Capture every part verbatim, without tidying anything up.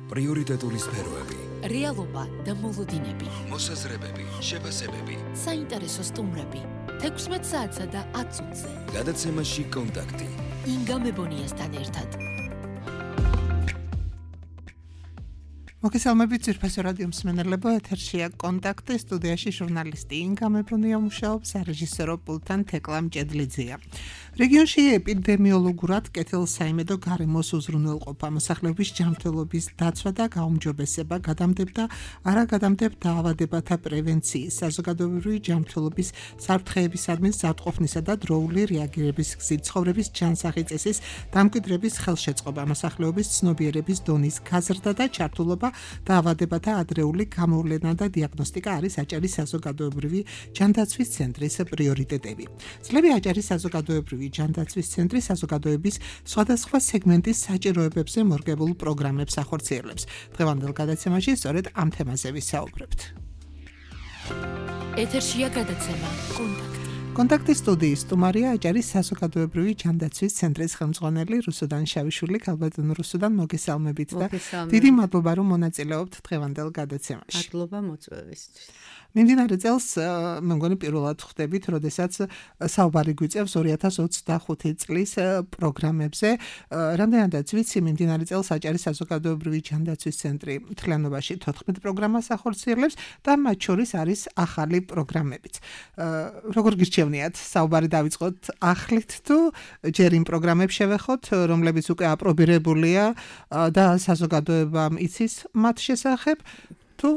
პრიორიტეტული სფეროები, რეალობა და მოლოდინები, მოსაზრებები, შეფასებები, საინტერესო სტუმრები, თექვსმეტ საათსა და ათ წუთზე. გადაცემაში კონტაქტი. ინგა მებონიასთან ერთად. მოგესალმებით ძვირფასო რადიო მსმენელებო, ეთერშია კონტაქტი, სტუდიაში ჟურნალისტი ინგა მებონია მუშაობს, სარეჟისორო პულტთან თეკლა მჭედლიძეა. რეგიონში ეპიდემიოლოგურად კეთილსაიმედო გარემოს უზრუნველყოფა, მოსახლეობის ჯანმრთელობის დაცვა და გაუმჯობესება, გადამდებდა არაგადამდებ დაავადებათა პრევენციის, საზოგადოებრივი ჯანმრთელობის საფრთხეებისადმი ზრდყოფნისა და დროული რეაგირების გზით ცხოვრების ჯანსაღი წესის დამკვიდრების ხელშეწყობა, მოსახლეობის ცნობიერების დონის გაზრდა და ჩართულობა დაავადებათა ადრეული გამოვლენა და დიაგნოსტიკა არის აჭარის საზოგადოებრივი ჯანდაცვის ცენტრის პრიორიტეტები. წლები აჭარის საზოგადოებრივი ჯანდაცვის ცენტრი საზოგადოების სხვადასხვა სეგმენტის საჭიროებებზე მორგებულ პროგრამებს ახორციელებს. დღევანდელ გადაცემაში სწორედ ამ თემაზე ვისაუბრებთ. ეთერშია გადაცემა კონტაქტი. კონტაქტის სტუდიის სტუმარია აჭარის საზოგადოებრივი ჯანდაცვის ცენტრის ხელმძღვანელი რუსუდან შავიშვილი. ქალბატონ რუსუდან, მოგესალმებით და დიდი მადლობა რომ მონაწილეობთ დღევანდელ გადაცემაში. მადლობა მოწვევისთვის. მიმდინარე წელს მე მგონი პირველად ხვდებით, როდესაც საუბარი გვიწევს ორი ათას ოცდახუთი წლის პროგრამებზე. რამდენადაც ვიცი, მიმდინარე წელს აჭარის საზოგადოებრივი ჯანდაცვის ცენტრი მთლიანობაში თოთხმეტ პროგრამას ახორციელებს და მათ შორის არის ახალი პროგრამებიც. როგორ გირჩევნიათ, საუბარი დავიწყოთ ახლით თუ ჯერ იმ პროგრამებს შევეხოთ, რომლებიც უკვე აპრობირებულია და საზოგადოებამ იცის მათ შესახებ, თუ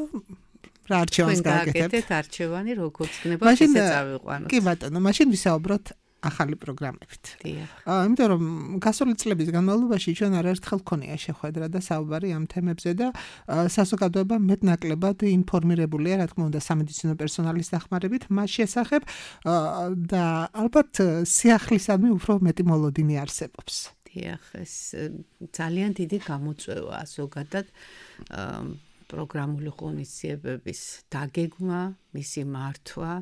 რა არჩევანს გააკეთებთ? გააკეთეთ არჩევანი, როგორც გნება ესე წავიყვანოთ. კი ბატონო, მაშინ ვისაუბროთ ახალი პროგრამებით. დიახ. იმიტომ რომ გასული წლების განმავლობაში ჩვენ არაერთხელ გქონია შეხვედრა და საუბარი ამ თემებზე და საზოგადოება მეტნაკლებად ინფორმირებულია, რა თქმა უნდა, სამედიცინო პერსონალის დახმარებით მას შესახებ და ალბათ სიახლისადმი უფრო მეტი მოლოდინი არსებობს. დიახ, ეს ძალიან დიდი გამოწვევაა ზოგადად პროგრამული ღონისძიებების დაგეგმა, მისი მართვა,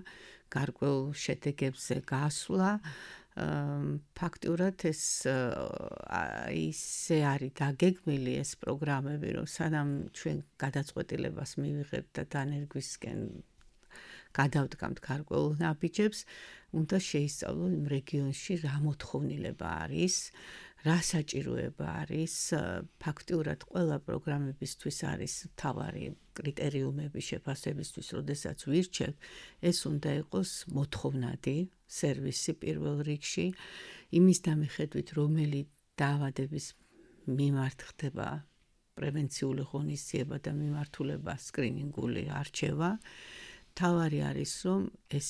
გარკვეულ შედეგებზე გასვლა. ფაქტურად ეს ისე არის დაგეგმილი ეს პროგრამები, რომ სანამ ჩვენ გადაწყვეტილებას მივიღებთ და დანერგვისკენ გადავდგამთ გარკვეულ ნაბიჯებს, უნდა შეისწავლოთ იმ რეგიონში რა მოთხოვნილება არის, რა საჭიროება არის. ფაქტურად ყველა პროგრამებისთვის არის მთავარი კრიტერიუმები შეფასებისთვის, როდესაც ვირჩევთ, ეს უნდა იყოს მოთხოვნადი სერვისი პირველ რიგში, იმის დამიხედვით, რომელი დაავადების მიმართ ხდება პრევენციული ღონისძიება და მიმართულება სკრინინგული არჩევა. თავარი არის, რომ ეს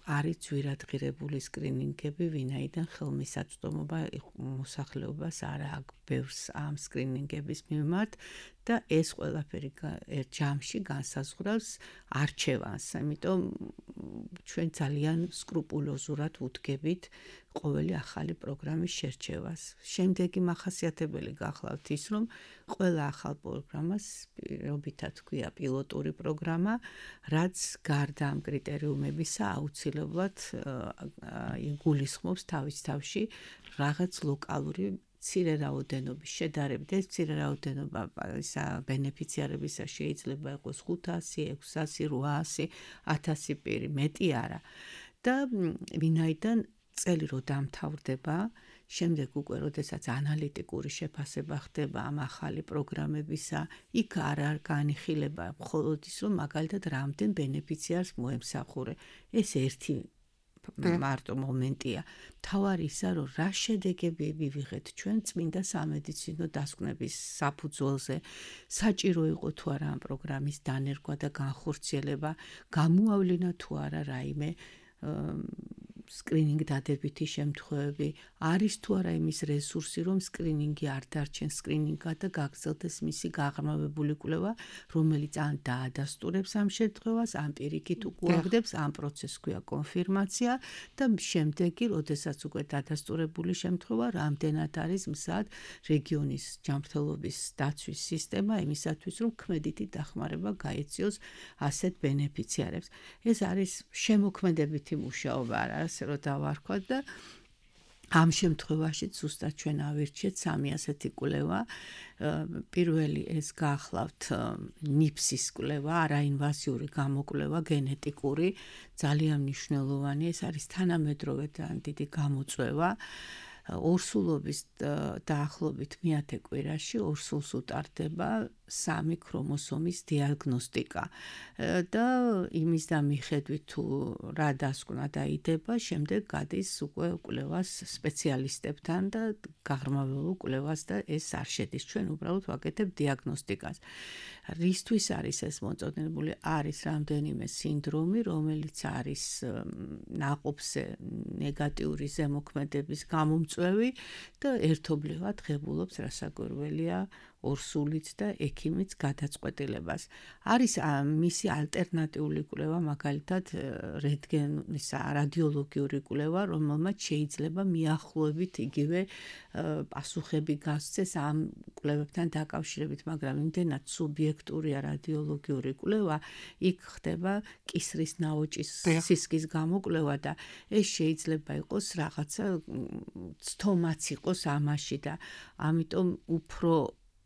არის ძვირადღირებული სკრინინგები, ვინაიდან ხელმისაწვდომობა მოსახლეობას არ აქვს ბევრს ამ სკრინინგების მიმართ და ეს ყველაფერი ერთ ჯამში განსაზღვრავს არჩევანს. ამიტომ ჩვენ ძალიან სკრუპულოზურად ვუდგებით ყოველი ახალი პროგრამის შერჩევას. შემდეგი მახასიათებელი გახლავთ ის, რომ ყველა ახალ პროგრამას პირობითად ქვია პილოტური პროგრამა, რაც გარდა ამ კრიტერიუმებისა აუცილებლად გულისხმობს თავის თავში რაღაც ლოკალური მცირე რაოდენობის შედარებით. ეს მცირე რაოდენობა ბენეფიციარებისა შეიძლება იყოს ხუთასი, ექვსასი, რვაასი, ათასი პირი, მეტი არა. და ვინაიდან წელი რო დამთავრდება, შემდეგ უკვე როდესაც ანალიტიკური შეფასება ხდება ამ ახალი პროგრამებისა, იქ არ არ განიხილება მხოლოდ ის, რომ მაგალითად რამდენ ბენეფიციარს მოემსახურე. ეს ერთი მარტო მომენტია. თავარი ისა, რომ რა შედეგები ვივიღეთ ჩვენ წმინდა სამედიცინო დასკვნების საფუძველზე, საჭირო იყო თუ არა ამ პროგრამის დანერგვა და განხორციელება, გამოავლინა თუ არა რაიმე სკრინინგ დადებითი შემთხვევები, არის თუ არა იმის რესურსი, რომ სკრინინგი არ დარჩენ სკრინინგად და გაგრძელდეს მისი გაღრმავებული კვლევა, რომელიც ან დაადასტურებს ამ შემთხვევას, ან პირიქით უკუაგდებს, ამ პროცესს ქვია კონფირმაცია და შემდეგი, როდესაც უკვე დადასტურებული შემთხვევა, რამდენად არის მზად რეგიონის ჯანმრთელობის დაცვის სისტემა იმისათვის, რომ ქმედითი დახმარება გაეციოს ასეთ ბენეფიციარებს. ეს არის შემოქმედებითი მუშაობა, არა ასე რომ დავარქვათ და ამ შემთხვევაში ზუსტად ჩვენ ავირჩიეთ სამი ასეთი კვლევა. პირველი ეს გაახლავთ ნიფსის კვლევა, არაინვაზიური გამოკვლევა, გენეტიკური, ძალიან მნიშვნელოვანი. ეს არის თანამედროვე და დიდი გამოწვევა. ორსულობის დაახლოებით მეათე კვირაში ორსულს უტარდება სამი ქრომოსომის დიაგნოსტიკა და იმის და მიხედვით თუ რა დასკვნა დაიდება, შემდეგ გადის უკვე კვლევას სპეციალისტებთან და გაღრმავებულ კვლევას და ეს არ შედის. ჩვენ უბრალოდ ვაკეთებ დიაგნოსტიკას. რისთვის არის ეს მოწოდებული? არის რამდენიმე სინდრომი, რომელიც არის ნაყოფზე ნეგატიური ზემოქმედების გამომწვევი და ერთობლივად ღებულობს რასაკვირველია ორსულიც და ექიმიც გადაწყვეტილებას. არის მისი ალტერნატიული კვლევა, მაგალითად რენტგენის რადიოლოგიური კვლევა, რომელმაც შეიძლება მიახლოებით იგივე პასუხები გასცეს ამ კვლევებთან დაკავშირებით, მაგრამ იმდენად სუბიექტურია რადიოლოგიური კვლევა, იქ ხდება კისრის ნაოჭის სისქის გამოკვლევა და ეს შეიძლება იყოს რაღაცა ცთომაც იყოს ამაში და ამიტომ უფრო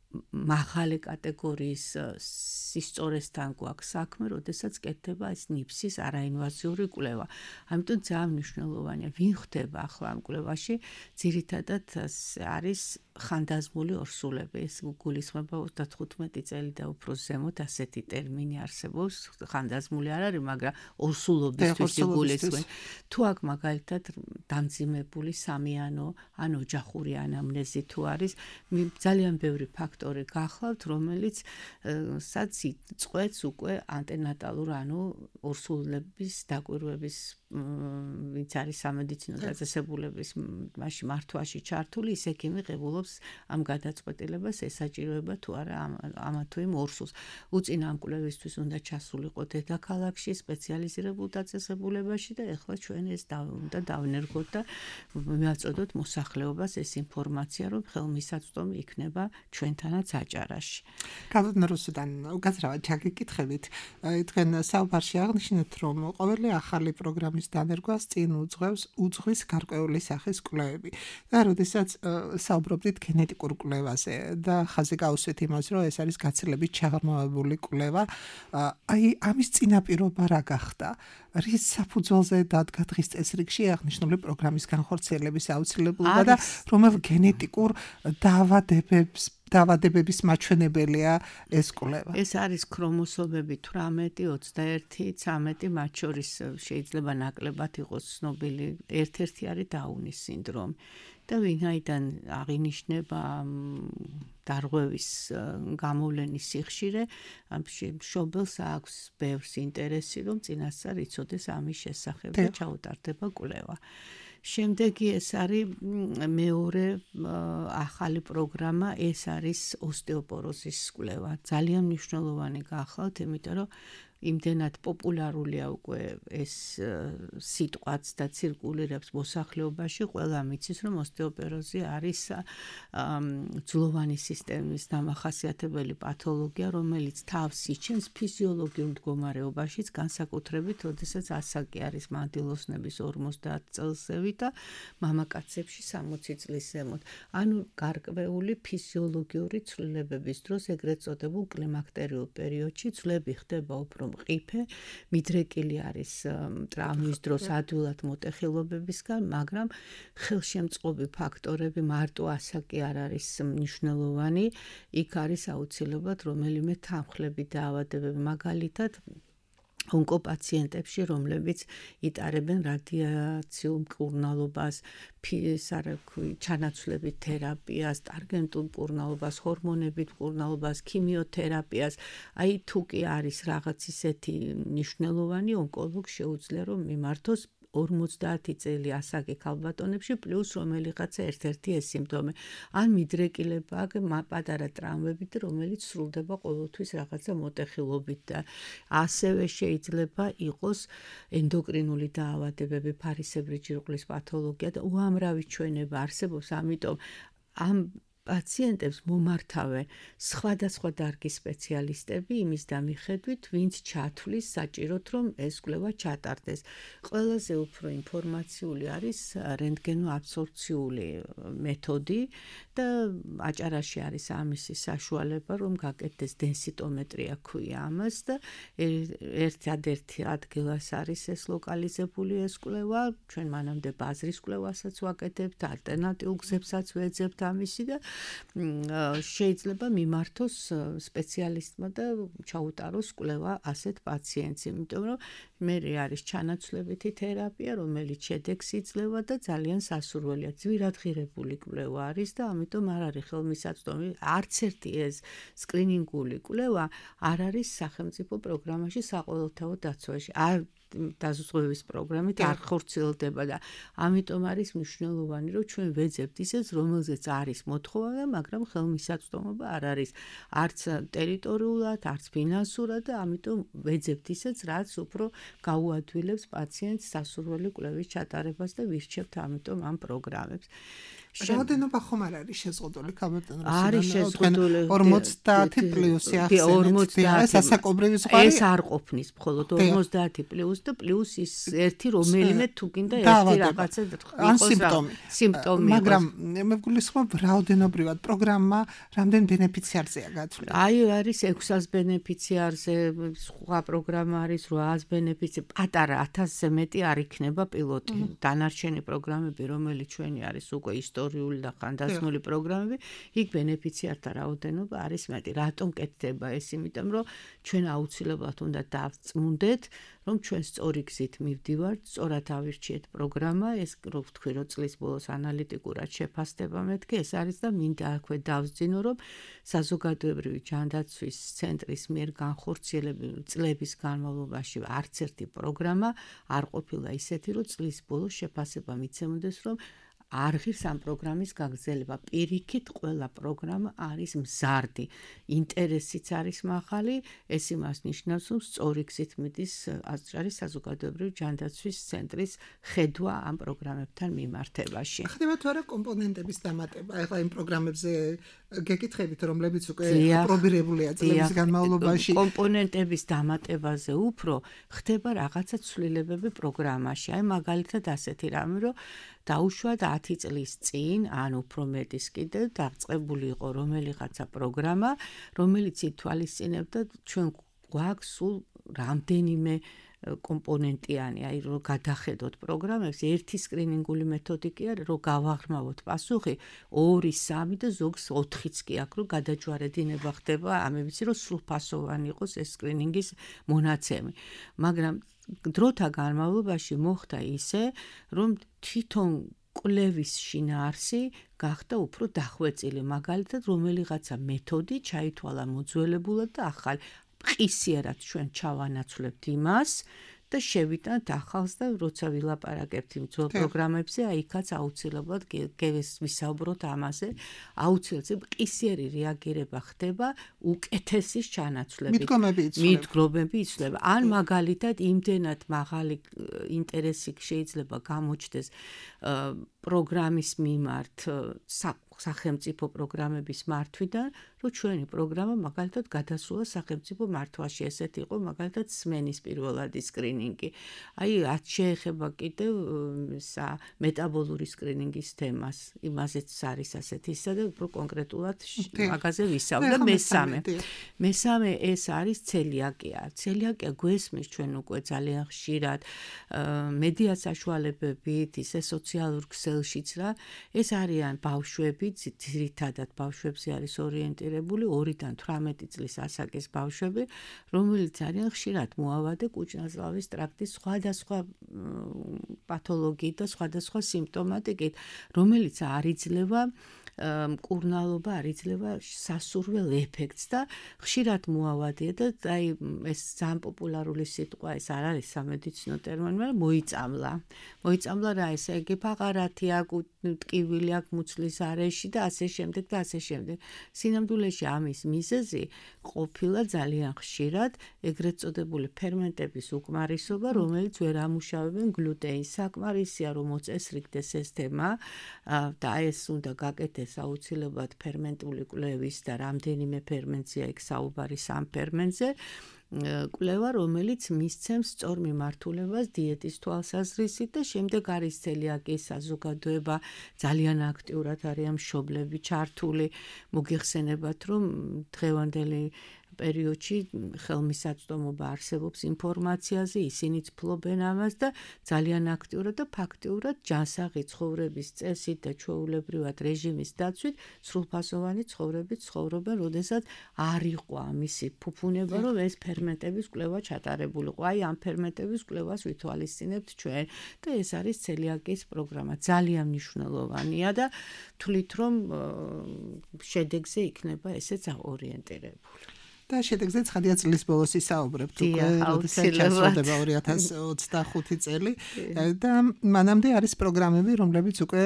მაღალი კატეგორიის სისწორესთან გვაქვს საქმე, როდესაც კეთდება ეს ნიფსის არაინვაზიური კვლევა. ამიტომ ძალიან მნიშვნელოვანია, ვინ ხდება ახლა ამ კვლევაში, ძირითადად არის ხანდაზმული ორსულები. ეს გულისხმება ოცდათხუთმეტი წელი და უფრო ზემოთ ასეთი ტერმინი არსებობს. ხანდაზმული არ არის, მაგრამ ორსულობისთვის იგულისხმება. თუ აქ მაგალითად დამძიმებული სამიანო ან ოჯახური ანამნეზი თუ არის, ძალიან ბევრი ფაქტორი გახლავთ, რომელიც სადაც წყვეტს უკვე ანტენატალურ, ანუ ორსულების დაკვირვების ვინც არის სამედიცინო დაწესებულების მაშინ მართვაში ჩართული, ის ექიმი ღებულობს ამ გადაწყვეტილებას, ესაჭიროება თუ არა ამა თუ იმ ორსულს. უწინ ამ კვლევისთვის უნდა ჩასულიყო დედაქალაქში, სპეციალიზირებულ დაწესებულებაში და ეხლა ჩვენ ეს უნდა დავნერგოთ და მივაწოდოთ მოსახლეობას ეს ინფორმაცია, რომ ხელმისაწვდომი იქნება ჩვენთანაც აჭარაში. გავდნა რუსუდან უკაცრავად ჩაგიკითხებით, თქვენ საუბარში აღნიშნეთ, რომ ყოველი ახალი პროგრამის დანერგვას წინ უძღვევს უძღვის გარკვეული სახის კვლევები. და როდესაც საუბრობდით გენეტიკურ კვლევაზე და ხაზი გაუსვით იმას, რომ ეს არის გაცილებით ჩაღრმავებული კვლევა, აი ამის წინაპირობა რა გახდა? რის საფუძველზე დადგა დღის წესრიგში აღნიშნული პროგრამის განხორციელების აუცილებლობა და რომელ გენეტიკურ დაავადებებს დაავადებების მაჩვენებელია ეს კვლევა? ეს არის ქრომოსომები თვრამეტი, ოცდაერთი, ცამეტი, მათ შორის შეიძლება ნაკლებად იყოს ცნობილი. ერთ-ერთი არის დაუნის სინდრომი. და ვინაიდან აღინიშნება დარღვევის გამოვლენის სიხშირე, ამ მშობელს აქვს ბევრს ინტერესი, რომ წინასწარ იცოდეს ამის შესახებ და ჩაუტარდება კვლევა. შემდეგი ეს არის მეორე ახალი პროგრამა, ეს არის ოსტეოპოროზის კვლევა. ძალიან მნიშვნელოვანი გახლავთ, იმიტომ რომ იმდენად პოპულარულია უკვე ეს სიტყვაც და ცირკულირებს მოსახლეობაში, ყველა მიცის, რომ ოსტეოპოროზი არის ძვლოვანი სისტემის დამახასიათებელი პათოლოგია, რომელიც თავს იჩენს ფიზიოლოგიურ მდგომარეობაშიც, განსაკუთრებით, როდესაც ასაკი არის მანდილოსნების ორმოცდაათ წელსევი და მამაკაცებში სამოცი წლის ზემოთ. ანუ გარკვეული ფიზიოლოგიური ცვლილებების დროს, ეგრეთ წოდებულ კლიმაქტერიულ პერიოდში ცვლები ხდება უფრო მყიფე, მიდრეკილი არის ტრავმის დროს ადვილად მოტეხილობებისგან, მაგრამ ხელშემწყობი ფაქტორები მარტო ასაკი არ არის მნიშვნელოვანი, იქ არის აუცილებლად რომელიმე თანხლები დაავადებები, მაგალითად ონკოპაციენტებში, რომლებიც იტარებენ რადიაციულ მკურნალობას, ჩანაცვლებით თერაპიას, ტარგენტულ მკურნალობას, ჰორმონებით მკურნალობას, ქიმიოთერაპიას. აი თუ კი არის რაღაც ისეთი მნიშვნელოვანი, ონკოლოგს შეუძლია რომ მიმართოს ორმოცდაათი წელი ასაკი ქალბატონებში პლუს რომელიღაცა ერთ-ერთი ეს სიმპტომი. ან მიდრეკილება, პატარა ტრავმებით, რომელიც სრულდება ყოველთვის რაღაცა მოტეხილობით და ასევე შეიძლება იყოს ენდოკრინული დაავადებები, ფარისებრი ჯირკვლის პათოლოგია და უამრავი ჩვენება არსებობს, ამიტომ ამ პაციენტებს მომართავენ სხვადასხვა დარგის სპეციალისტები იმის დამიხედვით, ვინც ჩათვლის საჭიროდ, რომ ეს კვლევა ჩატარდეს. ყველაზე უფრო ინფორმაციული არის რენტგენო-აბსორბციული მეთოდი და აჭარაში არის ამისი საშუალება, რომ გაკეთდეს დენსიტომეტრია ქვია ამას და ერთადერთი ადგილას არის ეს ლოკალიზებული ეს კვლევა. ჩვენ მანამდე ბაზრის კვლევასაც ვაკეთებთ, ალტერნატიულ გზებსაც ვეძებთ ამისი და შეიძლება მიმართოს სპეციალისტმა და ჩაუტაროს კვლევა ასეთ პაციენტს, იმიტომ რომ მე არის ჩანაცვლებითი თერაპია, რომელიც შედეგს იძლევა და ძალიან სასურველია. ძვირადღირებული კვლევა არის და ამიტომ არ არის ხელმისაწვდომი. არც ერთი ეს სკრინინგული კვლევა არ არის სახელმწიფო პროგრამაში საყოველთაო დაცვაში. არ დაზუსტების პროგრამით არ ხორციელდება და ამიტომ არის მნიშვნელოვანი, რომ ჩვენ ვეძებთ ისეს, რომელზეც არის მოთხოვნა, მაგრამ ხელმისაწვდომობა არ არის არც ტერიტორიულად, არც ფინანსურად და ამიტომ ვეძებთ ისეც, რაც უფრო გაუადვილებს პაციენტს სასურველი კვლევის ჩატარებას და ვირჩევთ ამიტომ ამ პროგრამებს. რაოდენობა ხომ არ არის შეზღუდული ქაბატონ რუსი? არის შეზღუდული ორმოცდაათი პლუსი ახსენეთ. ეს ასაკობრივი ზღვარი ეს არ ყოფნის, მხოლოდ ორმოცდაათი პლუს და პლუს ის ერთი რომელიმე თუ გინდა ერთი რაღაცა იყოს სიმპტომი. მაგრამ მე ვგულისხმობ რაოდენობრივად პროგრამა რამდენ ბენეფიციარზეა გათვლილი? აი არის ექვსას ბენეფიციარზე, სხვა პროგრამა არის რვაას ბენეფიცი, პატარა ათასზე მეტი არ იქნება პილოტი. დანარჩენი პროგრამები, რომელიც ჩვენი არის უკვე ისტორიული და ხანდაზმული პროგრამები, იქ ბენეფიციართა რაოდენობა არის მეტი. რატომ კეთდება ეს? იმიტომ რომ ჩვენ აუცილებლად უნდა დავწმუნდეთ, რომ ჩვენ სწორი გზით მივდივართ, სწორად ავირჩიეთ პროგრამა, ეს რო ვთქვი, რომ წლის ბოლოს ანალიტიკურად შეფასდება მეთქი, ეს არის და მინდა აქვე დავსძინო, რომ საზოგადოებრივი ჯანდაცვის ცენტრის მიერ განხორციელებული წლების განმავლობაში არც ერთი პროგრამა არ ყოფილა ისეთი, რომ წლის ბოლოს შეფასება მიცემოდეს, რომ არ ღირს ამ პროგრამის გაგრძელება. პირიქით ყველა პროგრამა არის მზარდი. ინტერესიც არის მაღალი, ეს იმას ნიშნავს, რომ სწორი გზით მიდის აჭარის საზოგადოებრივი ჯანდაცვის ცენტრის ხედვა ამ პროგრამებთან მიმართებაში. ხდება თუ არა კომპონენტების დამატება? ეხლა იმ პროგრამებზე გეკითხებით, რომლებიც უკვე აპრობირებულია წლების განმავლობაში. კომპონენტების დამატებაზე უფრო ხდება რაღაცა ცვლილებები პროგრამაში. აი მაგალითად ასეთი რამე, რომ დაუშვათ ათი წლის წინ, ან უფრო მეტის კიდევ დაწყებული იყო რომელიღაცა პროგრამა, რომელიც ითვალისწინებდა ჩვენ გვაქვს სულ რამდენიმე კომპონენტიანი, აი რომ გადახედოთ პროგრამებს, ერთი სკრინინგული მეთოდი კი არის, რომ გავაღრმავოთ პასუხი, ორი, სამი და ზოგს ოთხიც კი აქვს, რომ გადაჯვარედინება ხდება, ამებიც რომ სრულფასოვანი იყოს ეს სკრინინგის მონაცემი. მაგრამ დროთა განმავლობაში მოხდა ისე, რომ თვითონ კვლევის შინაარსი გახდა უფრო დახვეწილი, მაგალითად რომელიღაცა მეთოდი ჩაითვალა მოძველებულად და ახალი. ყისიერად ჩვენ ჩავანაცვლებთ იმას და შევიტანთ ახალს და როცა ვილაპარაკებთ იმ ძველ პროგრამებზე, აი იქაც აუცილებლად ვისაუბროთ ამაზე, აუცილებლად ყისიერი რეაგირება ხდება უკეთესის ჩანაცვლებით. მიდგომები იცვლება. ან მაგალითად იმდენად მაღალი ინტერესი შეიძლება გამოჩნდეს პროგრამის მიმართ სახელმწიფო პროგრამების მართვიდან, რომ ჩვენი პროგრამა მაგალითად გადასულა სახელმწიფო მართვაში, ესეთი იყო მაგალითად სმენის პირველადი სკრინინგი. აი, რაც შეეხება კიდევ მეტაბოლური სკრინინგის თემას, იმაზეც არის ასეთი ისა და უფრო კონკრეტულად მაგაზე ვისაუბრე. მესამე. მესამე ეს არის ცელიაკია. ცელიაკია გვესმის ჩვენ უკვე ძალიან ხშირად მედია საშუალებებით, ისე სოციალურ ქსელშიც რა, ეს არიან ბავშვები, ძირითადად ბავშვებზე არის ორიენტირებული ორიდან თვრამეტი წლის ასაკის ბავშვები, რომელიც არიან ხშირად მოავადე კუჭნაზლავის ტრაქტის სხვადასხვა პათოლოგიით და სხვადასხვა სიმპტომატიკით, რომელიც არ იძლევა მკურნალობა, არ იძლევა სასურველ ეფექტს და ხშირად მოავადია და აი ეს ძალიან პოპულარული სიტყვა ეს არ არის სამედიცინო ტერმინი, მაგრამ მოიწამლა. მოიწამლა რა ესე იგი ფაღარათი აქვს, ტკივილი აქვს მუცლის არეში და ასე შემდეგ და ასე შემდეგ. სინამდვილეში ამის მიზეზი ყოფილა ძალიან ხშირად ეგრეთ წოდებული ფერმენტების უკმარისობა, რომელიც ვერ ამუშავებენ გლუტენს. საკმარისია რომ მოწესრიგდეს ეს თემა და ეს უნდა გაკეთდეს ეს აუცილებლად ფერმენტული კვლევის და რამდენიმე ფერმენტზეა იქ საუბარი სამ ფერმენტზე კვლევა, რომელიც მისცემს სწორ მიმართულებას დიეტის თვალსაზრისით და შემდეგ არის ცელიაკიის საზოგადოება ძალიან აქტიურად არიან მშობლები ჩართული. მოგიხსენებათ, რომ დღევანდელი პერიოდში ხელმისაწვდომობა არსებობს ინფორმაციაზე, ისინიც ფლობენ ამას და ძალიან აქტიურად და ფაქტიურად ჯანსაღი ცხოვრების წესით და ჩვეულებრივად რეჟიმის დაცვით სრულფასოვანი ცხოვრებით ცხოვრობენ, როდესაც არ იყო ამისი ფუფუნება, რომ ეს ფერმენტების კვლევა ჩატარებულიყო. აი ამ ფერმენტების კვლევას ვითვალისწინებთ ჩვენ და ეს არის ცელიაკიის პროგრამა. ძალიან მნიშვნელოვანია და თვლით, რომ შედეგზე იქნება ესეც ორიენტირებული. და შედეგზე ცხადია წლის ბოლოს ისაუბრებთ უკვე, როდესაც ჩასრულდება ორი ათას ოცდახუთი წელი და მანამდე არის პროგრამები, რომლებიც უკვე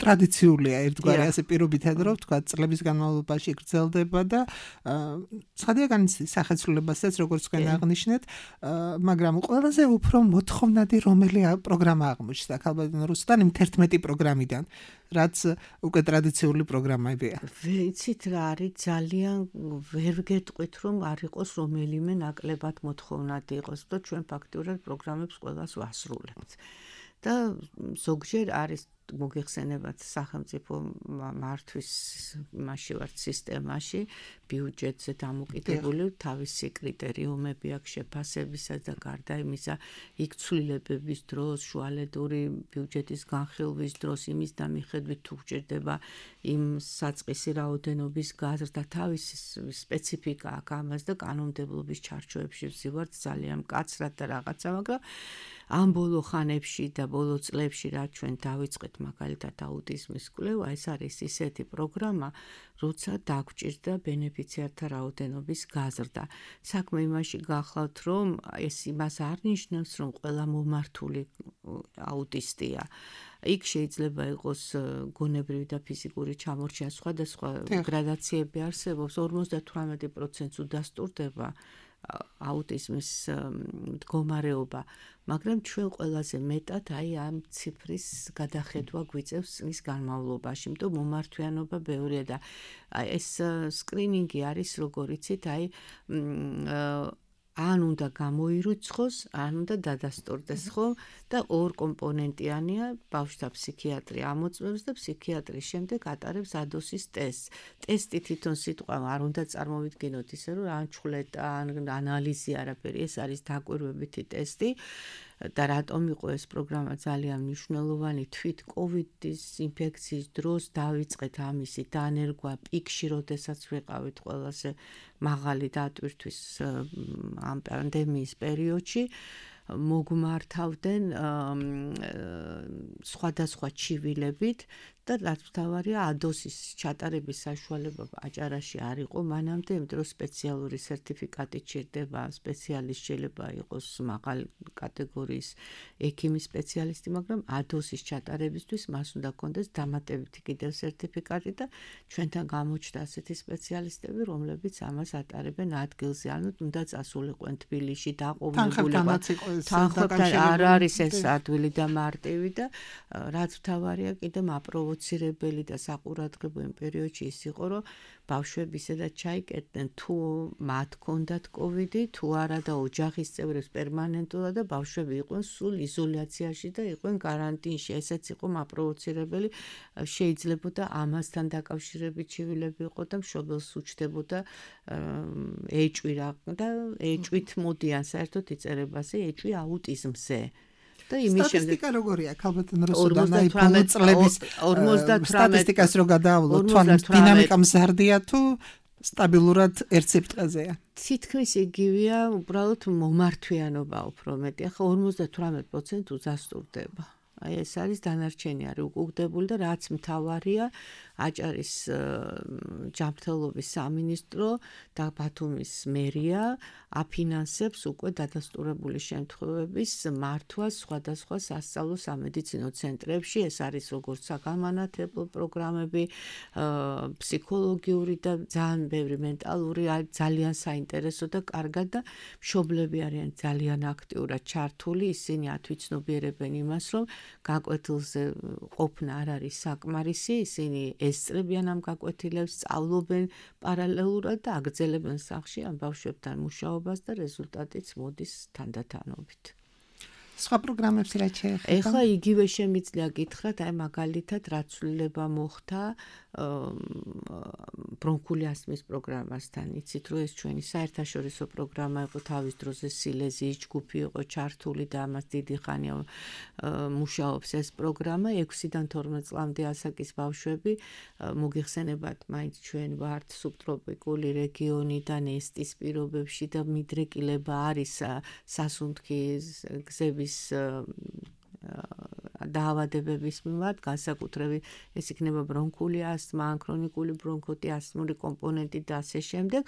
ტრადიციულია ერთგვარი ასე პირობითად, რომ თქვა წლების განმავლობაში გრძელდება და ცხადია განიცდის სახეცვლილებასაც, როგორც თქვენ აღნიშნეთ, მაგრამ ყველაზე უფრო მოთხოვნადი რომელი პროგრამა აღმოჩნდა ქალბატონ რუსტან იმ თერთმეტი პროგრამიდან, რაც უკვე ტრადიციული პროგრამებია. ვიცით რა არის, ძალიან ვერ გეტყვით, რომ არ იყოს რომელიმე ნაკლებად მოთხოვნადი იყოს და ჩვენ ფაქტურად პროგრამებს ყველას ვასრულებთ. და ზოგჯერ არის მოგეხსენებათ სახელმწიფო მართვის მასში ვართ სისტემაში ბიუჯეტზე დამოკიდებული თავისი კრიტერიუმები აქვს შეფასებისა და გარდა იმისა იქ ცვლილებების დროს შუალედური ბიუჯეტის განხილვის დროს იმის და მიხედვით თუ გჭირდება იმ საწყისი რაოდენობის გაზრდა თავისი სპეციფიკა აქვს ამას და კანონმდებლობის ჩარჩოებში ვზივართ ძალიან მკაცრად და რაღაცა, მაგრამ ამ ბოლო ხანებში და ბოლო წლებში რაც ჩვენ დავიწყეთ მაგალითად აუტიზმის კვლევა, ეს არის ისეთი პროგრამა, როცა დაგვჭირდა ბენეფიციართა რაოდენობის გაზრდა. საქმე იმაში გახლავთ, რომ ეს იმას არ ნიშნავს, რომ ყველა მომართული აუტისტია. იქ შეიძლება იყოს გონებრივი და ფიზიკური ჩამორჩენა, სხვადასხვა გრადაციები არსებობს, ორმოცდათვრამეტი პროცენტს უდასტურდება აუტიზმის მდგომარეობა, მაგრამ ჩვენ ყველაზე მეტად აი ამ ციფრის გადახედვა გვიწევს წლის განმავლობაში, იმიტომ მომართვიანობა ბევრია და ეს სკრინინგი არის, როგორ იცით, აი ან უნდა გამოირიცხოს, ან უნდა დადასტურდეს, ხო? და ორ კომპონენტიანია, ბავშვთა ფსიქიატრი ამოწმებს და ფსიქიატრის შემდეგ ატარებს ადოსის ტესტს. ტესტი თვითონ სიტყვა არ უნდა წარმოვიდგინოთ ისე, რომ ან ჩხვლეტა, ან ანალიზი არაფერი, ეს არის დაკვირვებითი ტესტი. და რატომ იყო ეს პროგრამა ძალიან მნიშვნელოვანი თვით კოვიდის ინფექციის დროს დავიწყეთ ამისი დანერგვა პიკში, როდესაც ვიყავით ყველაზე მაღალი დატვირთვის ამ პანდემიის პერიოდში. მოგმართავდნენ სხვადასხვა ჩივილებით და რაც მთავარია ადოსის ჩატარების საშუალება აჭარაში არ იყო მანამდე, იმიტომ რომ სპეციალური სერტიფიკატი ჭირდება, სპეციალისტ შეიძლება იყოს მაღალი კატეგორიის ექიმის სპეციალისტი, მაგრამ ადოსის ჩატარებისთვის მას უნდა კონდეს დამატებითი კიდევ სერტიფიკატი და ჩვენთან გამოჩნდა ასეთი სპეციალისტები, რომლებიც ამას ატარებენ ადგილზე, ანუ უნდა წასულიყვენ თბილისში, დაყოვნებულიყო. თანხმობთან არ არის ეს ადვილი და მარტივი და რაც მთავარია კიდე მაპროვოცირებელი და საყურადღებო იმ პერიოდში ის იყო, რომ ბავშვები ისედაც ჩაიკეტდნენ თუ მათ ჰქონდათ კოვიდი, თუ არა და ოჯახის წევრებს პერმანენტულად და ბავშვები იყვნენ სულ იზოლაციაში და იყვნენ კარანტინში. ესეც იყო მაპროვოცირებელი, შეიძლებოდა ამასთან დაკავშირებით ჩივილები იყო და მშობელს უჩდებოდა ეჭვი რა და ეჭვით მოდიან საერთოდ იწერებაზე ეჭვი აუტიზმზე. და იმის შემდეგ სტატისტიკა როგორია ქალბატონ რუსუდან აი ბოლო წლების სტატისტიკას რო გადაავლოთ, თვალის დინამიკა მზარდია თუ სტაბილურად ერთ სიფრთხეზეა? თითქმის იგივეა, უბრალოდ მომართვიანობა უფრო მეტი. ახლა ორმოცდათვრამეტ პროცენტს უზასტურდება. აი ეს არის დანარჩენი არის უკუგდებული და რაც მთავარია აჭარის ჯანმრთელობის სამინისტრო და ბათუმის მერია აფინანსებს უკვე დადასტურებული შემთხვევების მართვას სხვადასხვა სასწავლო სამედიცინო ცენტრებში. ეს არის როგორც საგანმანათლებლო პროგრამები, ფსიქოლოგიური და ძალიან ბევრი მენტალური, ძალიან საინტერესო და კარგად და მშობლები არიან ძალიან აქტიურად ჩართული, ისინი ათვიცნობიერებენ იმას, რომ გაკვეთილზე ყოფნა არ არის საკმარისი, ისინი ესწრებიან ამ გაკვეთილებს, სწავლობენ პარალელურად და აგრძელებენ სახლში ამ ბავშვებთან მუშაობას და რეზულტატიც მოდის თანდათანობით. სხვა პროგრამებს რა შეეხება? ეხლა იგივე შემიძლია გითხრათ, აი მაგალითად რა ცვლილება მოხდა ბრონქული ასთმის პროგრამასთან. იცით რომ ეს ჩვენი საერთაშორისო პროგრამა იყო თავის დროზე სილეზიის ჯგუფი იყო ჩართული და ამას დიდი ხანია მუშაობს ეს პროგრამა. ექვსიდან თორმეტ წლამდე ასაკის ბავშვები მოგიხსენებათ, მაინც ჩვენ ვართ სუბტროპიკული რეგიონიდან ესტის პირობებში და მიდრეკილება არის სასუნთქი გზების დაავადებების მიმართ, განსაკუთრებით ეს იქნება ბრონქული ასთმა, ქრონიკული ბრონქიტი, ასთმური კომპონენტი და ასე შემდეგ.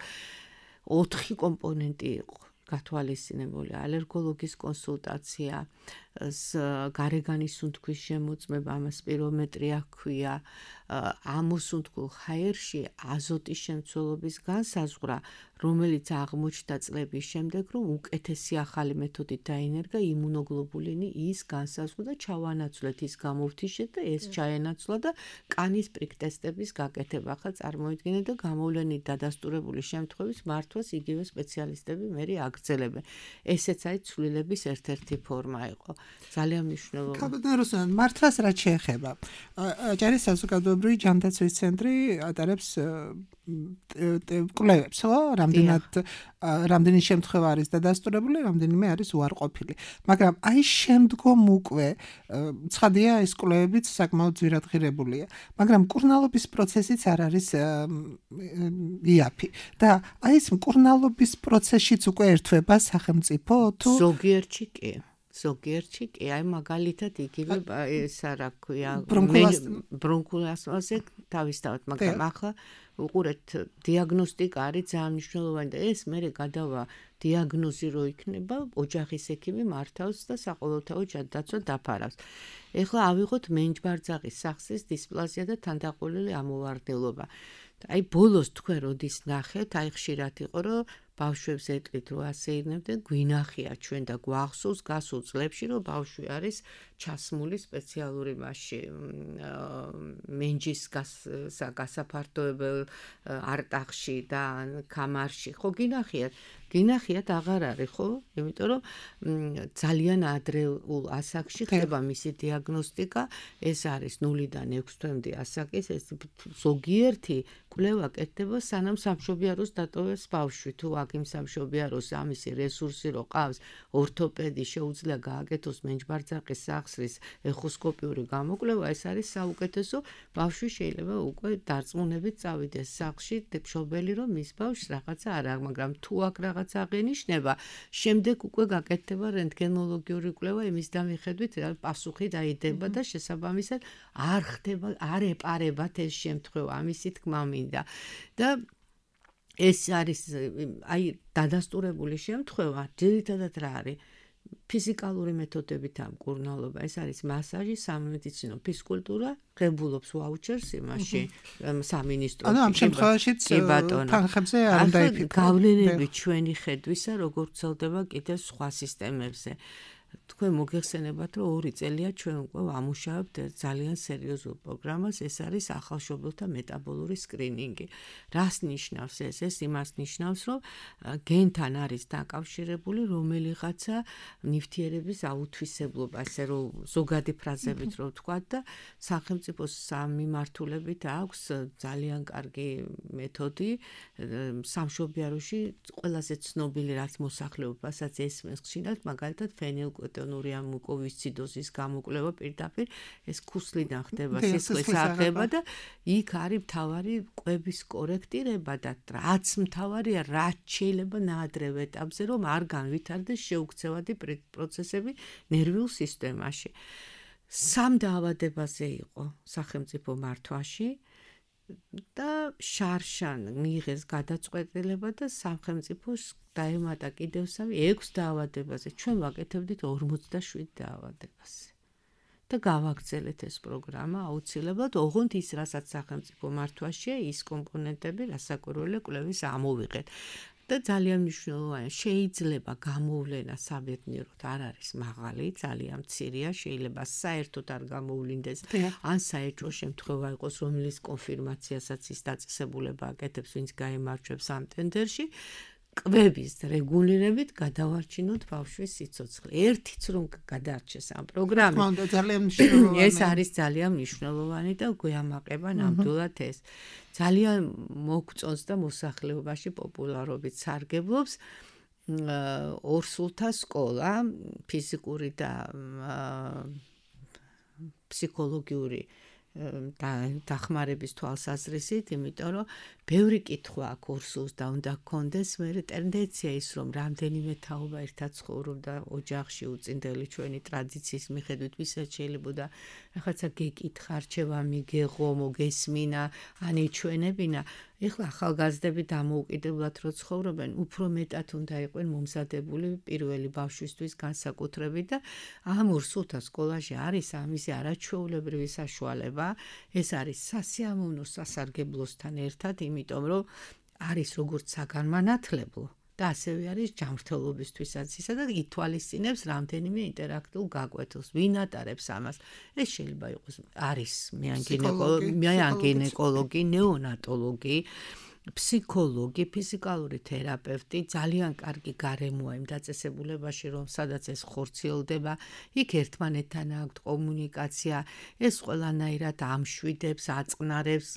ოთხი კომპონენტი იყო გათვალისწინებული: ალერგოლოგის კონსულტაცია, გარეგანის სუნთქვის შემოწმება, ამას სპირომეტრია ჰქვია, ამოსუნთქულ ჰაერში აზოტის შემცველობის განსაზღვრა, რომელიც აღმოჩნდა წლების შემდეგ, რომ უკეთესი ახალი მეთოდით დაინერგა იმუნოგლობულინი ის განსაზღვრა და ჩავანაცვლეთ ის გამოვთიშეთ და ეს ჩაენაცვლა და კანის პრიკ ტესტების გაკეთება. ახლა წარმოიდგინეთ და გამოვლენით დადასტურებული შემთხვევის მართვას იგივე სპეციალისტები მერე აგრძელებენ. ესეც აი ცვლილების ერთ-ერთი ფორმა იყო. ძალიან მნიშვნელოვანი. კაბინეტ რუსან მართვას რა შეეხება? ჯარის საზოგადოებრივი ჯანდაცვის ცენტრი ატარებს კვლევებს, ხო? რამდენად რამდენი შემთხვევა არის დადასტურებული, რამდენიმე არის უარყოფილი. მაგრამ აი შემდგომ უკვე ცხადია ეს კვლევებიც საკმაოდ ძვირადღირებულია, მაგრამ მკურნალობის პროცესიც არ არის იაფი. და აი ეს მკურნალობის პროცესშიც უკვე ერთვება სახელმწიფო თუ ზოგიერთში კი. ზოგიერთში კი, აი მაგალითად იგივე ეს რა ქვია, ბრონქულ ასთმაზე თავისთავად, მაგრამ ახლა უყურეთ, დიაგნოსტიკა არის ძალიან მნიშვნელოვანი და ეს მერე გადავა დიაგნოზი რო იქნება, ოჯახის ექიმი მართავს და საყოველთაო ჯანდაცვა დაფარავს. ეხლა ავიღოთ მენჯბარძაღის სახსრის დისპლაზია და თანდაყოლილი ამოვარდნილობა. აი ბოლოს თქვენ როდის ნახეთ, აი ხშირად იყო რომ ბავშვებს ეტყვით რომ ასე ირნებდნენ, გვინახია ჩვენ და გვახსოვს გასულ წლებში რომ ბავშვი არის ჩასმული სპეციალური მასში მენჯის გასაფართოებელ არტახში და კამარში. ხო გინახიათ? გინახიათ აღარ არის, ხო? იმიტომ რომ ძალიან ადრეულ ასაკში ხდება მისი დიაგნოსტიკა, ეს არის ნულიდან ექვს თვემდე ასაკის, ეს ზოგიერთი კვლევა კეთდება სანამ სამშობიაროს დატოვებს ბავშვი. თუ აქ იმ სამშობიაროს ამისი რესურსი რო ყავს, ორთოპედი შეუძლია გააკეთოს მენჯბარძაღის სახსრის ეხოსკოპიური გამოკვლევა, ეს არის საუკეთესო. ბავშვი შეიძლება უკვე დარწმუნებით წავიდეს სახლში, მშობელი რომ მის ბავშვს რაღაცა არ აქვს, მაგრამ თუ აქ რაღაც აღენიშნება, შემდეგ უკვე გაკეთდება რენტგენოლოგიური კვლევა, იმის დამიხედვით პასუხი დაიდება და შესაბამისად არ ხდება, არ ეპარებათ ეს შემთხვევა, ამისი თქმა მინდა. და ეს არის აი დადასტურებული შემთხვევა, ძირითადად რა არის? ფიზიკალური მეთოდებით ამ მკურნალობა, ეს არის მასაჟი, სამედიცინო ფიზკულტურა, ღებულობს ვაუჩერს იმაში სამინისტროში. ანუ ამ შემთხვევაშიც თანხებზე არ უნდა იფიქრო. გავლენები ჩვენი ხედვისა, როგორ ვრცელდება კიდევ სხვა სისტემებზე. თქვენ მოგეხსენებათ, რომ ორი წელია ჩვენ უკვე ვამუშავებთ ძალიან სერიოზულ პროგრამას, ეს არის ახალშობილთა მეტაბოლური სკრინინგი. რას ნიშნავს ეს? ეს იმას ნიშნავს, რომ გენთან არის დაკავშირებული რომელიღაცა ნივთიერების აუთვისებლობა, ასე რომ ზოგადი ფრაზებით რო ვთქვათ და სახელმწიფოს სამმართველობით აქვს ძალიან კარგი მეთოდი სამშობიაროში ყველაზე ცნობილი რაც მოსახლეობასაც ესმის ხშირად, მაგალითად ფენილკეტონური მუკოვისციდოზის გამოკვლევა პირდაპირ ეს ქუსლიდან ხდება, სისხლის აღება და იქ არის მთავარი კვების კორექტირება და რაც მთავარია, რაც შეიძლება ნაადრევ ეტაპზე რომ არ განვითარდეს შეუქცევადი პროცესები ნერვიულ სისტემაში. სამ დაავადებაზე იყო სახელმწიფო მართვაში და შარშან მიიღეს გადაწყვეტილება და სახელმწიფოს დაემატა კიდევ სამი ექვს დაავადებაზე. ჩვენ ვაკეთებდით ორმოცდაშვიდ დაავადებაზე. და გავაგრძელეთ ეს პროგრამა აუცილებლად, ოღონდ ის, რასაც სახელმწიფო მართვაშია, ის კომპონენტები, რასაკვირველია კვლევის ამოვიღეთ. და ძალიან მნიშვნელოვანია შეიძლება გამოვლენა საბედნიეროდ არ არის მაღალი ძალიან მცირეა შეიძლება საერთოდ არ გამოვლინდეს ან საერთო შემთხვევა იყოს რომელიც კონფირმაციასაც ის დაწესებულება აკეთებს ვინც გაემარჯვებს ამ ტენდერში კვების რეგულირებით გადავარჩინოთ ბავშვის სიცოცხლე. ერთიც რომ გადაარჩეს ამ პროგრამით. მანდა ძალიან მნიშვნელოვანი. ეს არის ძალიან მნიშვნელოვანი და გვიამაყება ნამდვილად ეს. ძალიან მოგწონს და მოსახლეობაში პოპულარობით სარგებლობს ორსულთა სკოლა, ფიზიკური და ფსიქოლოგიური და დახმარების თვალსაზრისით, იმიტომ რომ ბევრი კითხვა აქვს ორსულს და უნდა გქონდეს მე ტენდენცია ის რომ რამდენიმე თაობა ერთად ცხოვრობდა ოჯახში უწინდელი ჩვენი ტრადიციის მიხედვით ვისაც შეიძლება და რაღაცა გეკითხა რჩევა მიგეღო მოგესმინა ანიჩვენებინა ეხლა ახალგაზრდები დამოუკიდებლად რო ცხოვრობენ უფრო მეტად უნდა იყვნენ მომზადებული პირველი ბავშვისთვის განსაკუთრებით და ამ ორსულთა სკოლაში არის ამისი არაჩვეულებრივი საშუალება ეს არის სასიამოვნო სასარგებლოსთან ერთად იმიტომ რომ არის როგორც საგანმანათლებლო და ასევე არის ჯანმრთელობისთვისაც ისა და ითვალისწინებს რამდენიმე ინტერაქტულ გაკვეთილს ვინ ატარებს ამას ეს შეიძლება იყოს არის მეანგინეკოლოგი ნეონატოლოგი ფსიქოლოგი ფიზიკალური თერაპევტი ძალიან კარგი გარემოა იმ დაწესებულებაში რომ სადაც ეს ხორციელდება იქ ერთმანეთთან აქვთ კომუნიკაცია ეს ყველანაირად ამშვიდებს აწყნარებს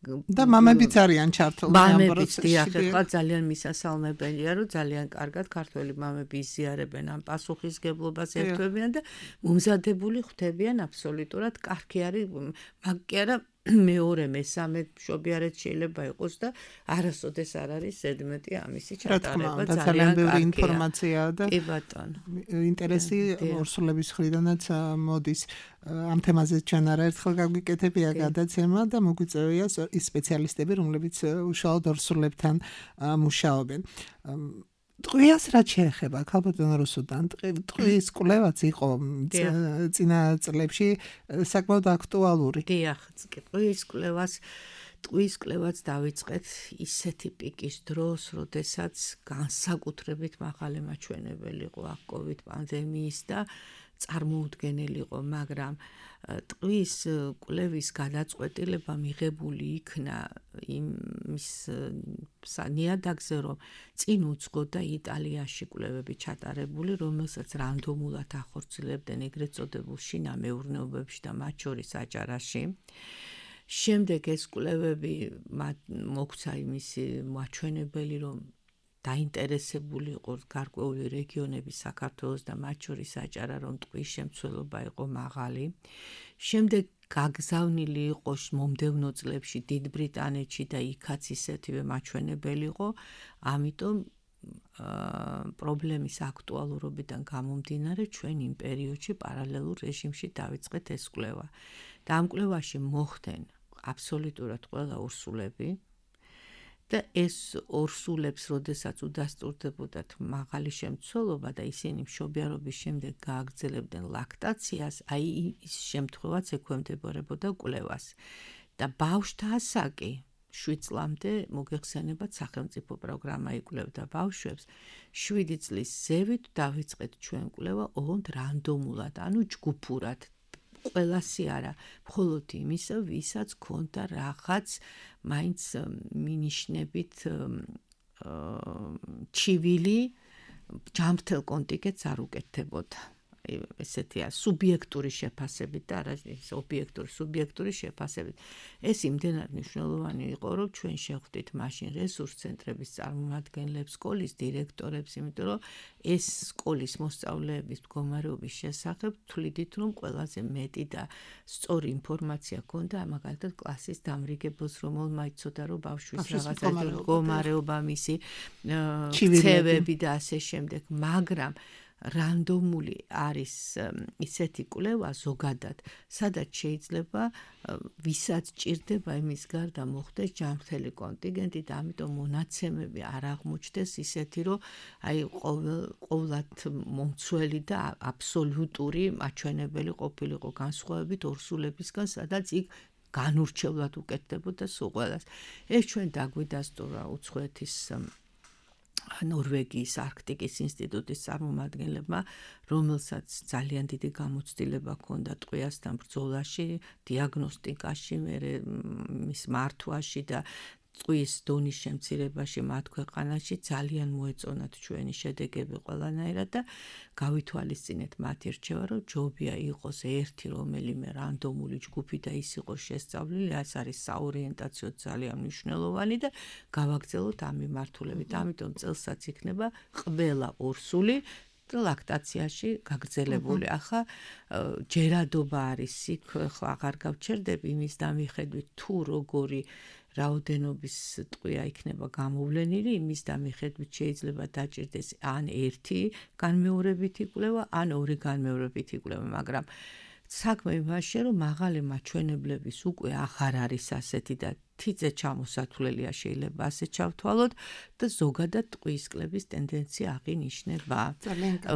და მამებიც არიან ჩართულნი ამ პროცესში. ახლა ძალიან მისასალმებელია, რომ ძალიან კარგად ქართველი მამები იზიარებენ ამ პასუხისგებლობას ერთვებიან და მომზადებული ხვდებიან აბსოლუტურად კარგი არის, მაგ კი არა მეორე მესამე მშობიარეთ შეიძლება იყოს და არასოდეს არ არის ზედმეტი ამისი ჩატარება ძალიან ბევრი ინფორმაცია და კი ბატონო ინტერესი ორსულების მხრიდანაც მოდის ამ თემაზე ჩვენ არაერთხელ გაგვიკეთებია გადაცემა და მოგვიწევია ის სპეციალისტები რომლებიც უშუალოდ ორსულებთან მუშაობენ ტყვიას რაც შეეხება ქალბატონ რუსუდან ტყვის კვლევაც იყო წინა წლებში საკმაოდ აქტუალური. დიახ, ტყვის კვლევას ტყვის კვლევაც დავიწყეთ ისეთი პიკის დროს, როდესაც განსაკუთრებით მაღალი მაჩვენებელი იყო აქ კოვიდ პანდემიის და წარმოუდგენელი იყო, მაგრამ ტყვის კვლევის გადაწყვეტილება მიღებული იქნა იმის ნიადაგზე, რომ წინ უძღოდა იტალიაში კვლევები ჩატარებული, რომელსაც რანდომულად ახორციელებდნენ ეგრეთ წოდებულ შინა მეურნეობებში და მათ შორის აჭარაში. შემდეგ ეს კვლევები მოგვცა იმისი მაჩვენებელი, რომ დაინტერესებული იყო გარკვეული რეგიონები საქართველოს და მათ შორის აჭარა რომ ტყვის შემცველობა იყო მაღალი. შემდეგ გაგზავნილი იყო მომდევნო წლებში დიდ ბრიტანეთში და იქაც ისეთივე მაჩვენებელი იყო. ამიტომ პრობლემის აქტუალურობიდან გამომდინარე ჩვენ იმ პერიოდში პარალელურ რეჟიმში დავიწყეთ ეს კვლევა. და ამ კვლევაში მოხდნენ აბსოლუტურად ყველა ორსულები და ეს ორსულებს, როდესაც უდასტურდებოდათ მაღალი შემცველობა და ისინი მშობიარობის შემდეგ გააგრძელებდნენ ლაქტაციას, აი ის შემთხვევაც ექვემდებარებოდა კვლევას. და ბავშვთა ასაკი შვიდ წლამდე მოგეხსენებათ სახელმწიფო პროგრამა იკვლევდა ბავშვებს. შვიდი წლის ზევით დავიწყეთ ჩვენ კვლევა ოღონდ რანდომულად, ანუ ჯგუფურად. ყველასი არა, მხოლოდ იმისა, ვისაც ქონდა რაღაც მაინც მინიშნებით ჩივილი ჯანმრთელ კონტინგენტს არ უკეთდებოდა. ესეთია სუბიექტური შეფასებით და არა ობიექტური სუბიექტური შეფასებით. ეს იმდენად მნიშვნელოვანი იყო, რომ ჩვენ შევხვდით მაშინ რესურს ცენტრების წარმომადგენლებს, სკოლის დირექტორებს, იმიტომ რომ ეს სკოლის მოსწავლეების მდგომარეობის შესახებ თვლიდით, რომ ყველაზე მეტი და სწორი ინფორმაცია ჰქონდა მაგალითად კლასის დამრიგებელს, რომელმა იცოდა, რომ ბავშვის რაღაცა მდგომარეობა, მისი ქცევები და ასე შემდეგ, მაგრამ რანდომული არის ისეთი კვლევა ზოგადად, სადაც შეიძლება ვისაც ჭირდება იმის გარდა მოხდეს ჯანმრთელი კონტინგენტი და ამიტომ მონაცემები არ აღმოჩნდეს ისეთი, რომ აი ყოვლად მომცველი და აბსოლუტური მაჩვენებელი ყოფილიყო განსხვავებით ორსულებისგან, სადაც იქ განურჩევლად უკეთდებოდა სულ ყველას. ეს ჩვენ დაგვიდასტურა უცხოეთის ნორვეგიის არქტიკის ინსტიტუტის წარმომადგენლებმა, რომელსაც ძალიან დიდი გამოცდილება ჰქონდა ტყვიასთან ბრძოლაში, დიაგნოსტიკაში, მის მართვაში და ტყვის დონის შემცირებაში მათ ქვეყანაში ძალიან მოეწონათ ჩვენი შედეგები ყველანაირად და გავითვალისწინეთ მათი რჩევა, რომ ჯობია იყოს ერთი რომელიმე რანდომული ჯგუფი და ის იყოს შესწავლილი, ეს არის საორიენტაციო ძალიან მნიშვნელოვანი და გავაგრძელოთ ამ მიმართულებით. ამიტომ წელსაც იქნება ყველა ორსული ლაქტაციაში გაგრძელებული. ახლა ჯერადობა არის იქ, ხო აღარ გავჩერდები იმის დამიხედვით თუ როგორი რაოდენობის ტყვია იქნება გამოვლენილი, იმის დამიხედვით შეიძლება დაჭირდეს ან ერთი განმეორებითი კვლევა, ან ორი განმეორებითი კვლევა, მაგრამ საქმე იმაშია, რომ მაღალი მაჩვენებლების უკვე აღარ არის ასეთი და თიძე ჩამოსათვლელია შეიძლება ასე ჩავთვალოთ და ზოგადად ტყვის კლების ტენდენცია აღინიშნება.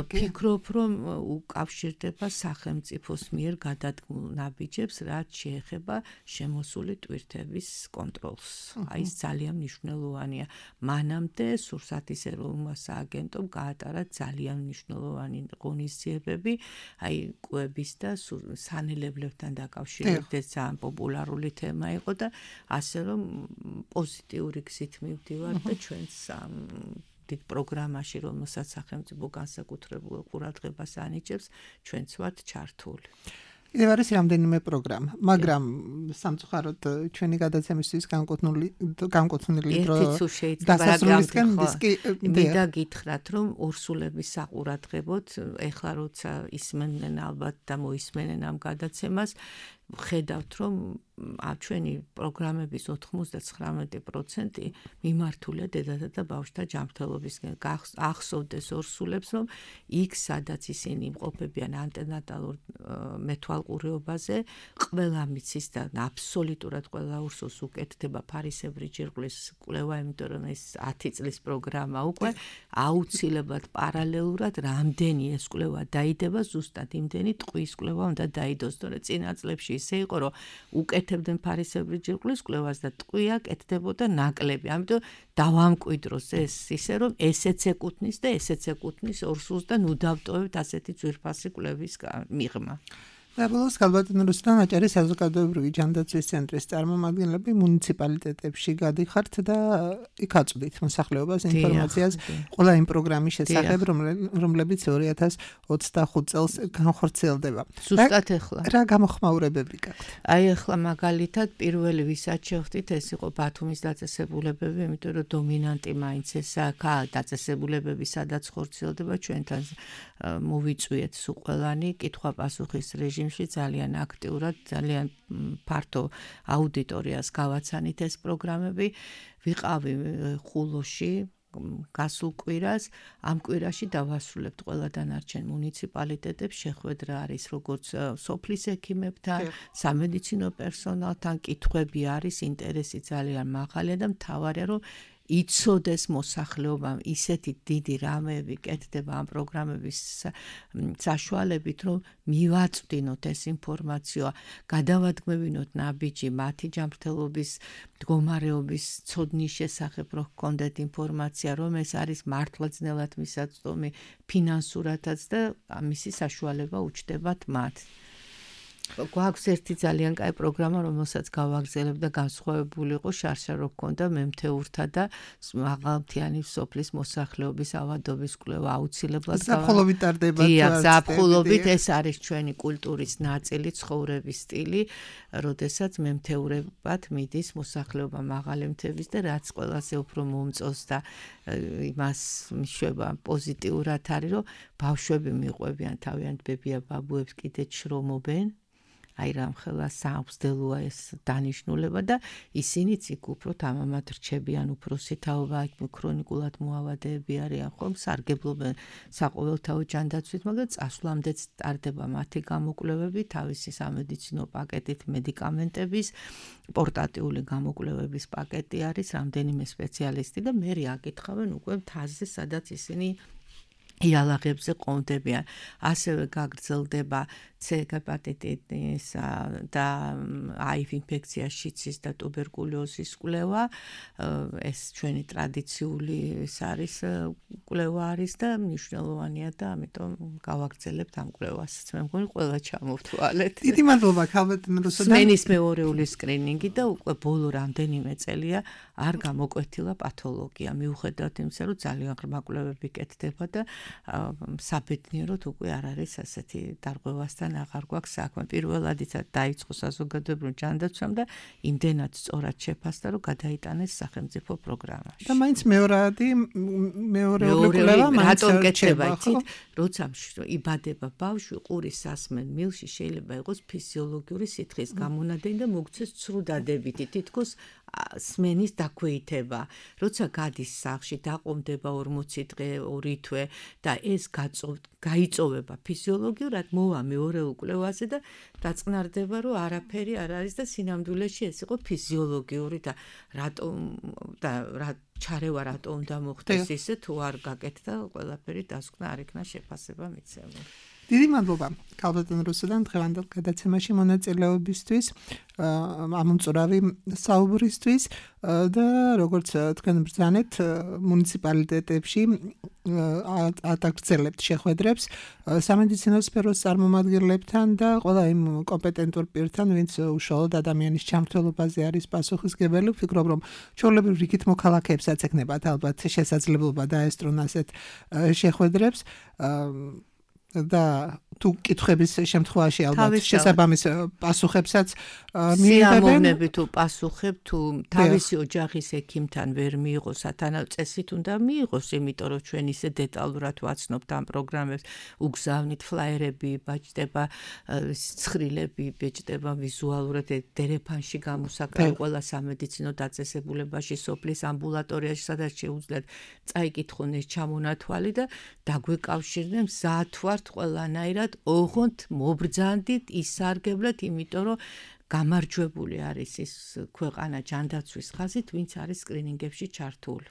ფიქრობ, რომ უკავშირდება სახელმწიფოს მიერ გადადგმულ ნაბიჯებს, რაც შეეხება შემოსული ტვირთების კონტროლს. აი ეს ძალიან მნიშვნელოვანია. მანამდე სურსათის ეროვნულმა სააგენტომ გაატარა ძალიან მნიშვნელოვანი ღონისძიებები, აი კვების და სანელებლებთან დაკავშირებით ძალიან პოპულარული თემა იყო და ასე რომ პოზიტიური გზით მივდივართ და ჩვენს დიდ პროგრამაში, რომელსაც სახელმწიფო განსაკუთრებულ ყურადღებას ანიჭებს, ჩვენც ვართ ჩართული. კიდევ არის რამდენიმე პროგრამა, მაგრამ სამწუხაროდ ჩვენი გადაცემისთვის განკუთვნილი განკუთვნილი დრო დასასრულისკენ დისკი მინდა გითხრათ, რომ ორსულების საყურადღებოდ ეხლა როცა ისმენენ ალბათ და მოისმენენ ამ გადაცემას, ხედავთ, რომ ჩვენი პროგრამების ოთხმოცდათსამეტი პროცენტი მიმართულია დედათა და ბავშვთა ჯანმრთელობისკენ. ახსოვდეს ორსულებს, რომ იქ სადაც ისინი იმყოფებიან ანტენატალურ მეთვალყურეობაზე, ყველა მიცის და აბსოლუტურად ყველა ორსულს უკეთდება ფარისებრი ჯირკვლის კვლევა, იმიტომ რომ ეს ათი წლის პროგრამა უკვე აუცილებლად პარალელურად რამდენი ეს კვლევა დაიდება, ზუსტად იმდენი ტყვის კვლევა უნდა დაიდოს, თორე წინა წლებში ისე იყო, რომ უკეთებდნენ ფარისებრი ჯირკვლის კვლევას და ტყვია კეთდებოდა ნაკლები. ამიტომ დავამკვიდროს ეს ისე, რომ ესეც ეკუთვნის და ესეც ეკუთვნის ორსულს და ნუ დავტოვებთ ასეთი ძვირფასი კვლევის მიღმა. და ბოლოს ქალბატონ რუსლან აჭარის საზოგადოებრივი ჯანდაცვის ცენტრის წარმომადგენლები მუნიციპალიტეტებში გადიხართ და იქ აწვდით მოსახლეობას ინფორმაციას ყველა იმ პროგრამის შესახებ, რომლებიც ორი ათას ოცდახუთ წელს განხორციელდება. ზუსტად ეხლა. რა გამოხმაურებები გაქვთ? აი ეხლა მაგალითად პირველი ვისაც შევხვდით, ეს იყო ბათუმის დაწესებულებები, იმიტომ რომ დომინანტი მაინც ესაა დაწესებულებები, სადაც ხორციელდება ჩვენთან მოვიწვიეთ სულ ყველანი კითხვა-პასუხის რეჟიმში ძალიან აქტიურად, ძალიან ფართო აუდიტორიას გავაცანით ეს პროგრამები. ვიყავი ხულოში გასულ კვირას, ამ კვირაში დავასრულებთ ყველა დანარჩენ მუნიციპალიტეტებს, შეხვედრა არის როგორც სოფლის ექიმებთან, სამედიცინო პერსონალთან, კითხვები არის, ინტერესი ძალიან მაღალია და მთავარია რომ იცოდეს მოსახლეობამ ისეთი დიდი რამეები კეთდება ამ პროგრამების საშუალებით, რომ მივაწვდინოთ ეს ინფორმაცია, გადავადგმევინოთ ნაბიჯი მათი ჯანმრთელობის მდგომარეობის ცოდნის შესახებ, რომ გქონდეთ ინფორმაცია, რომ ეს არის მართლაც-ნელად მისაწვდომი ფინანსურადაც და ამისი საშუალება უჩნდებათ მათ. გვაქვს ერთი ძალიან კაი პროგრამა, რომელსაც გავაგრძელებ და განსხვავებული იყო შარშა რო გქონდა მემთეურთა და მაღალმთიანი სოფლის მოსახლეობის ავადობის კვლევა აუცილებლად ზაფხულობით ტარდება. დიახ, ზაფხულობით ეს არის ჩვენი კულტურის ნაწილი, ცხოვრების სტილი, როდესაც მემთეურებად მიდის მოსახლეობა მაღალი მთების და რაც ყველაზე უფრო მომწონს და იმას მიშვება პოზიტიურად არის, რომ ბავშვები მიყვებიან თავიანთ ბებია-ბაბუებს კიდე შრომობენ. აი რამხელა სამგზელოა ეს დანიშნულება და ისინიც იქ უფრო თამამად რჩებიან, უფროსი თაობა, იქ ქრონიკულად მოავადეები არიან, ხომ სარგებლობენ საყოველთაო ჯანდაცვით, მაგრამ წასვლამდეც ტარდება მათი გამოკვლევები, თავისი სამედიცინო პაკეტით, მედიკამენტების, პორტატიული გამოკვლევების პაკეტი არის, რამდენიმე სპეციალისტი და მერე აკითხავენ უკვე მთაზე, სადაც ისინი იალაღებზე ყონდებიან. ასევე გაგრძელდება C ჰეპატიტისა და აი ვი ინფექცია, შიცის და ტუბერკულოზის კვლევა. ეს ჩვენი ტრადიციული ეს არის კვლევა არის და მნიშვნელოვანია და ამიტომ გავაგრძელებთ ამ კვლევასაც. მე მგონი ყველა ჩამოვთვალეთ. დიდი მადლობა ქალბატონ რუსუდან. სმენის მეორეული სკრინინგი და უკვე ბოლო რამდენიმე წელია არ გამოკვეთილა პათოლოგია. მიუხედავად იმისა, რომ ძალიან ღრმა კვლევები კეთდება და საბედნიეროდ უკვე არ არის ასეთი დარღვევასთან აღარ გვაქვს საქმე. პირველადიც დაიწყო საზოგადოებრივ ჯანდაცვამ და იმდენად სწორად შეფასდა, რომ გადაიტანეს სახელმწიფო პროგრამაში. და მაინც მეორადი მეორეული კვლევა მაინც რატომ კეთდება, იცით? როცა იბადება ბავშვი ყურის სასმენ მილში შეიძლება იყოს ფიზიოლოგიური სითხის გამონადენი და მოგცეს ცრუდადებითი თითქოს სმენის დაქვეითება. როცა გადის სახლში, დაყომდება ორმოცი დღე, ორი თვე და ეს გაიწოვება ფიზიოლოგიურად, მოვა მეორეულ კვლევაზე და დაწყნარდება, რომ არაფერი არ არის და სინამდვილეში ეს იყო ფიზიოლოგიური და რატომ და რა ჩარევა რატო უნდა მოხდეს ისე თუ არ გაკეთდა ყველაფერი დასკვნა არ იქნა შეფასება მიცემული. დიდი მადლობა ქალბატონ რუსუდან დღევანდელ გადაცემაში მონაწილეობისთვის, ამომწურავი საუბრისთვის და როგორც თქვენ ბრძანეთ მუნიციპალიტეტებში ატაგრძელებთ შეხვედრებს სამედიცინო სფეროს წარმომადგენლებთან და ყველა იმ კომპეტენტურ პირთან, ვინც უშუალოდ ადამიანის ჩამრთველობაზე არის პასუხისმგებელი. ვფიქრობ, რომ ჩვეულებრივ რიგით მოქალაქეებსაც ექნებათ ალბათ შესაძლებლობა დაესწრონ ასეთ შეხვედრებს და თუ კითხების შემთხვევაში ალბათ შესაბამის პასუხებსაც მიიღებენ. სიამოვნები თუ პასუხებ თუ თავისი ოჯახის ექიმთან ვერ მიიღო სათანადო წესით უნდა მიიღოს, იმიტომ რომ ჩვენ ისე დეტალურად ვაცნობთ ამ პროგრამებს, უგზავნით ფლაიერები, ბაჭდება ცხრილები, ბეჭდება ვიზუალურად დერეფანში გამოსაკრავი ყველა სამედიცინო დაწესებულებაში, სოფლის ამბულატორიაში, სადაც შეუძლიათ წაიკითხონ ეს ჩამონათვალი და დაგვეკავშირდნენ მზად ვართ ყველანაირად ოღონდ მობრძანდით ისარგებლეთ, იმიტომ რომ გამარჯვებული არის ის ქვეყანა ჯანდაცვის ხაზით, ვინც არის სკრინინგებში ჩართული.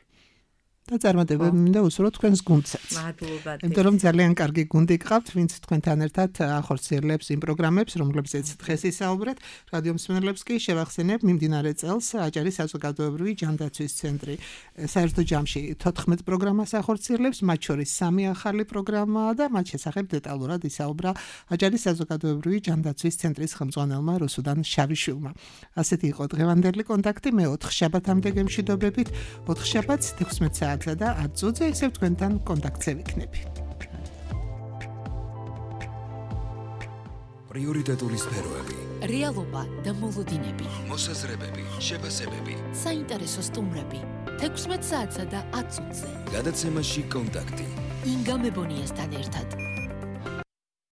და წარმატებები მინდა უსურვოთ თქვენს გუნდსაც. მადლობა. იმიტომ რომ ძალიან კარგი გუნდი გყავთ, ვინც თქვენთან ერთად ახორციელებს იმ პროგრამებს, რომლებზეც დღეს ისაუბრეთ. რადიო მსმენელებს კი შევახსენებ, მიმდინარე წელს აჭარის საზოგადოებრივი ჯანდაცვის ცენტრი საერთო ჯამში თოთხმეტ პროგრამას ახორციელებს, მათ შორის სამი ახალი პროგრამაა და მათ შესახებ დეტალურად ისაუბრა აჭარის საზოგადოებრივი ჯანდაცვის ცენტრის ხელმძღვანელმა რუსუდან შავიშვილმა. ასეთი იყო დღევანდელი კონტაქტი. მე ოთხ შაბათამდე გემშვიდობებით. ოთხ შაბათს თექვსმეტ საათს და ათ წუთზე ისევ თქვენთან კონტაქტზე ვიქნები. პრიორიტეტული სფეროები, რეალობა და მოლოდინები, მოსაზრებები, შეფასებები, საინტერესო სტუმრები, თექვსმეტ საათსა და ათ წუთზე. გადაცემაში კონტაქტი. ინგა მებონიასთან ერთად.